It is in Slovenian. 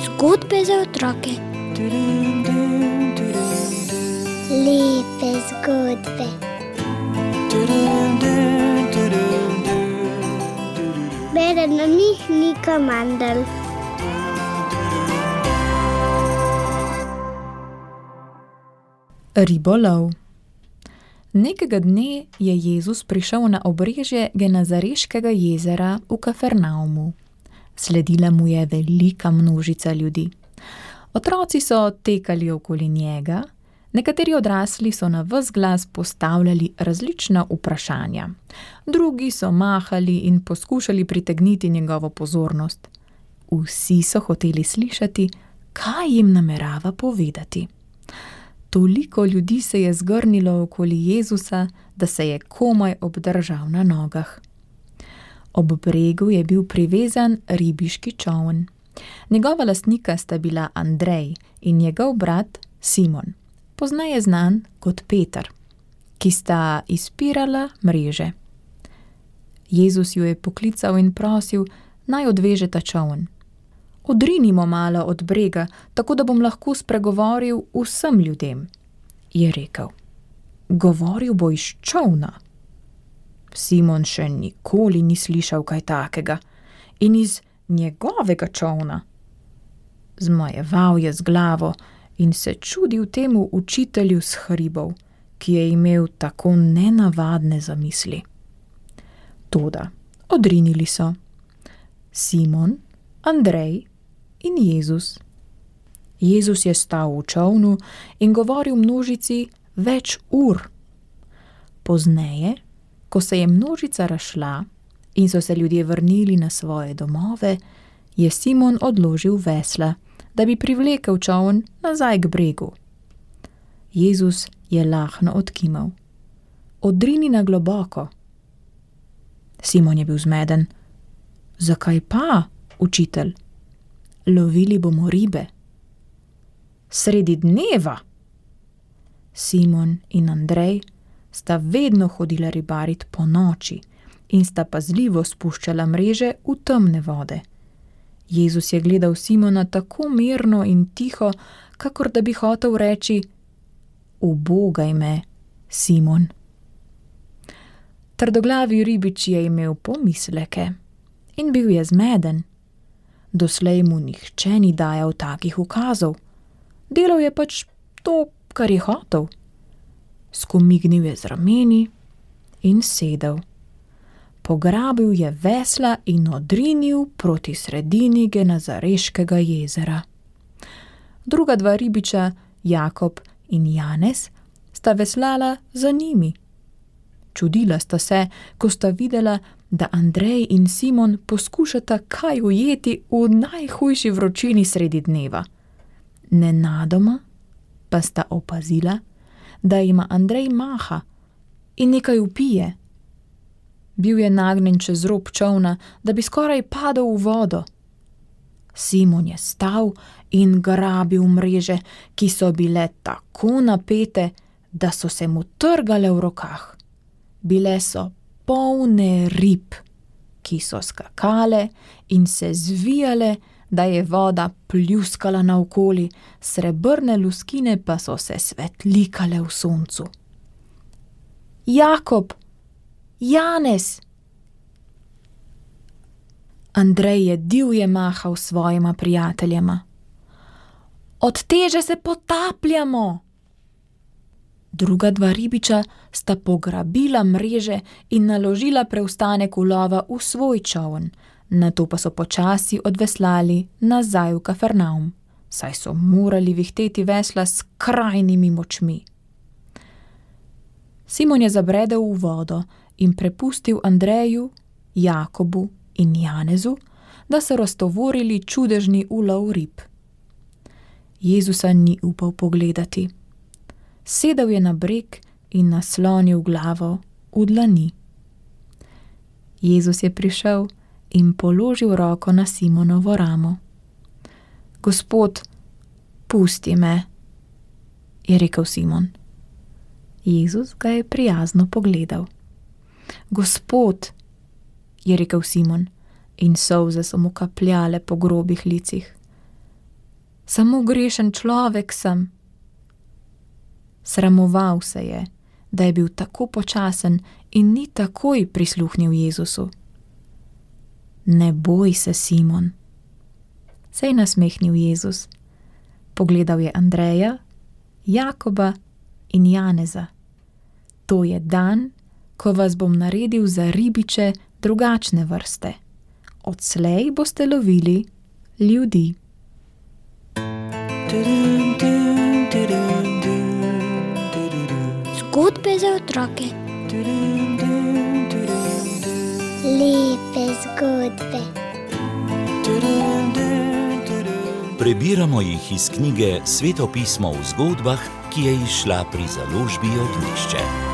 Zgodbe za otroke. Lepe zgodbe. Bere na njih Nika Mandl. Ribolov. Nekega dne je Jezus prišel na obrežje Genezareškega jezera v Kafarnaumu. Sledila mu je velika množica ljudi. Otroci so tekali okoli njega, nekateri odrasli so na ves glas postavljali različna vprašanja, drugi so mahali in poskušali pritegniti njegovo pozornost. Vsi so hoteli slišati, kaj jim namerava povedati. Toliko ljudi se je zgrnilo okoli Jezusa, da se je komaj obdržal na nogah. Ob bregu je bil privezan ribiški čoln. Njegova lastnika sta bila Andrej in njegov brat Simon, pozneje znan kot Peter, ki sta izpirala mreže. Jezus ju je poklical in prosil, naj odveže ta čoln. Odrinimo malo od brega, tako da bom lahko spregovoril vsem ljudem, je rekel. Govoril bo iz čolna. Simon še nikoli ni slišal kaj takega in iz njegovega čolna. Zmajeval je z glavo in se čudil temu učitelju s hribov, ki je imel tako nenavadne zamisli. Toda odrinili so Simon, Andrej in Jezus. Jezus je stal v čolnu in govoril množici več ur. Pozneje, ko se je množica razšla in so se ljudje vrnili na svoje domove, je Simon odložil vesla, da bi privlekel čoln nazaj k bregu. Jezus je lahno odkimal. Odrini na globoko. Simon je bil zmeden. Zakaj pa, učitelj? Lovili bomo ribe. Sredi dneva? Simon in Andrej sta vedno hodila ribarit po noči in sta pazljivo spuščala mreže v temne vode. Jezus je gledal Simona tako mirno in tiho, kakor da bi hotel reči: ubogaj me, Simon. Trdoglavi ribič je imel pomisleke in bil je zmeden. Doslej mu nihče ni dajal takih ukazov. Delal je pač to, kar je hotel. Skomignil je z rameni in sedel. Pograbil je vesla in odrinil proti sredini Genezareškega jezera. Druga dva ribiča, Jakob in Janez, sta veslala za njimi. Čudila sta se, ko sta videla, da Andrej in Simon poskušata kaj ujeti v najhujši vročini sredi dneva. Nenadoma pa sta opazila, da ima Andrej maha in nekaj vpije. Bil je nagnjen čez rob čolna, da bi skoraj padel v vodo. Simon je stal in grabil mreže, ki so bile tako napete, da so se mu trgale v rokah. Bile so polne rib, ki so skakale in se zvijale, da je voda pljuskala naokoli, srebrne luskine pa so se svetlikale v soncu. Jakob! Janez! Andrej je divje mahal svojima prijateljema. Od teže se potapljamo! Druga dva ribiča sta pograbila mreže in naložila preostanek ulova v svoj čoln, nato pa so počasi odveslali nazaj v Kafarnaum, saj so morali vihteti vesla s skrajnimi močmi. Simon je zabredel v vodo in prepustil Andreju, Jakobu in Janezu, da so raztovorili čudežni ulov rib. Jezusa ni upal pogledati. Sedel je na breg in naslonil glavo v dlani. Jezus je prišel in položil roko na Simonovo ramo. Gospod, pusti me, je rekel Simon. Jezus ga je prijazno pogledal. Gospod, je rekel Simon, in solze so mu kapljale po grobih licih. Samo grešen človek sem. Sramoval se je, da je bil tako počasen in ni takoj prisluhnil Jezusu. Ne boj se, Simon, se je nasmehnil Jezus. Pogledal je Andreja, Jakoba in Janeza. To je dan, ko vas bom naredil za ribiče drugačne vrste. Odslej boste lovili ljudi. Zgodbe za otroke. Lepe zgodbe. Prebiramo jih iz knjige Sveto pismo v zgodbah, ki je izšla pri založbi Ognjišče.